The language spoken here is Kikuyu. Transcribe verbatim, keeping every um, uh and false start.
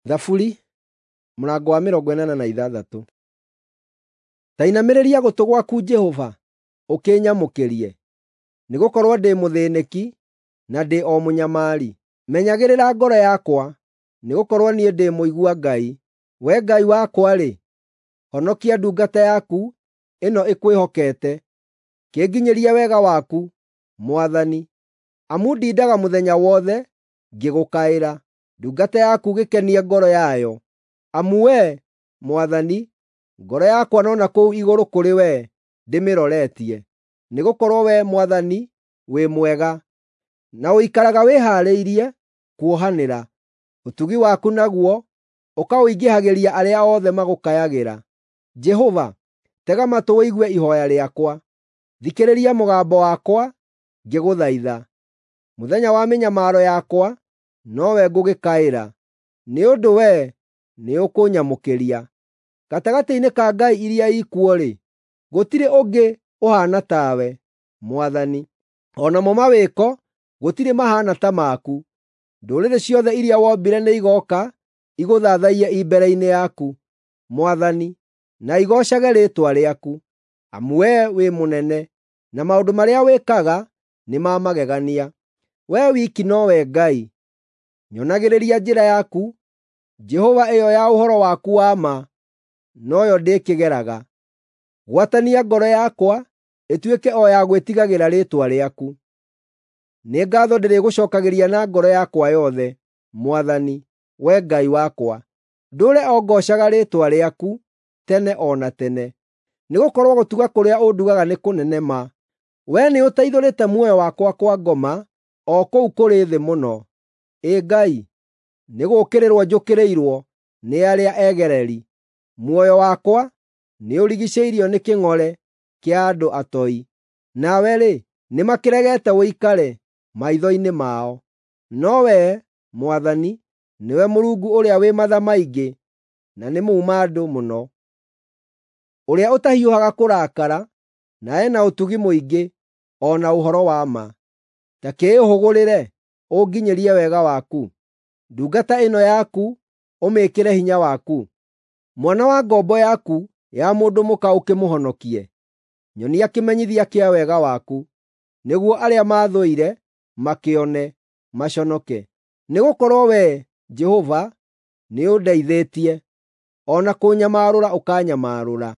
Thaburi mũrango wa mĩrongo ĩnana na ithathatũ. Ta inamĩrĩria gũtũ gwaku Jehova, ũkĩnyamũkĩrie, nĩgũkorwo ndĩ mũthĩĩnĩki na ndĩ o mũnyamari. Menyagĩrĩra ngoro yakwa, nĩgũkorwo niĩ ndĩ mũigua Ngai. Wee Ngai wakwa-rĩ, honokia ndungata yaku ĩno ĩkwĩhokete. Kĩnginyĩrie wega waku, Mwathani, amu ndindaga mũthenya wothe ngĩgũkaĩra. Ndungata yaku gĩkenie ngoro yayo, amu Wee, Mwathani, ngoro yakwa no na kũu igũrũ kũrĩ wee ndĩmĩroretie. Nĩgũkorwo Wee Mwathani wĩ mwega, na ũikaraga wĩhaarĩirie kuohanĩra. Ũtugi waku naguo ũkaũingĩhagĩria arĩa othe magũkayagĩra. Jehova, tega matũ ũigue ihooya rĩakwa; thikĩrĩria mũgambo wakwa ngĩgũthaitha. Mũthenya wa mĩnyamaro yakwa nowe ngũgĩkaĩra, nĩ ũndũ wee nĩũkũnyamũkĩria. Gatagatĩ-inĩ ka ngai iria ikuo-rĩ, gũtirĩ ũngĩ ũhaana tawe, Mwathani; o namo mawĩko gũtirĩ mahaana ta maku. Ndũrĩrĩ ciothe iria wombire nĩigooka igũthathaiye i mbere-inĩ yaku, Mwathani, na igoocage rĩĩtwa rĩaku, amu wee wĩ mũnene, na maũndũ marĩa wĩkaga nĩ ma magegania. Wee wiki nowe Ngai. Nyonagĩrĩria njĩra yaku, Jehova, ĩyo ya ũhoro waku wa ma, noyo ndĩkĩgeraga. Gwatania ngoro yakwa ĩtuĩke o ya gwĩtigagĩra rĩĩtwa rĩaku. Nĩ ngaatho ndĩrĩgũcookagĩria na ngoro yakwa yothe, Mwathani, Wee Ngai wakwa. Ndũũre o ngoocaga rĩĩtwa rĩaku tene o na tene, nĩgũkorwo gũtuga kũrĩa ũndugaga nĩ kũnene ma. Wee nĩũteithũrĩte muoyo wakwa kwa ngoma, o kũu kũrĩ thĩ mũno. Ĩ Ngai, nĩgũũkĩrĩrwo njũkĩrĩirwo nĩ arĩa egereri; muoyo wakwa nĩũrigiicĩirio nĩ kĩng'ore kĩa andũ atoi. Nawe-rĩ, nĩmakĩregete ũikare maitho-inĩ mao. No Wee, Mwathani, nĩwe Mũrungu ũrĩa wĩ matha maingĩ na nĩ muuma-andũ mũno, ũrĩa ũtahiũhaga kũrakara, na e na ũtugi mũingĩ o na ũhoro wa ma. Ta kĩĩhũgũrĩre ũnginyĩrie wega waku; ndungata ĩno yaku ũmĩĩkĩre hinya waku. Mwana wa ngombo yaku ya mũndũ mũka ũkĩmũhonokie. Nyonia kĩmenyithia kĩa wega waku, nĩguo arĩa maathũire makĩone, maconoke. Nĩgũkorwo Wee, Jehova, nĩũndeithĩtie, o na kũnyamarũra ũkanyamarũra.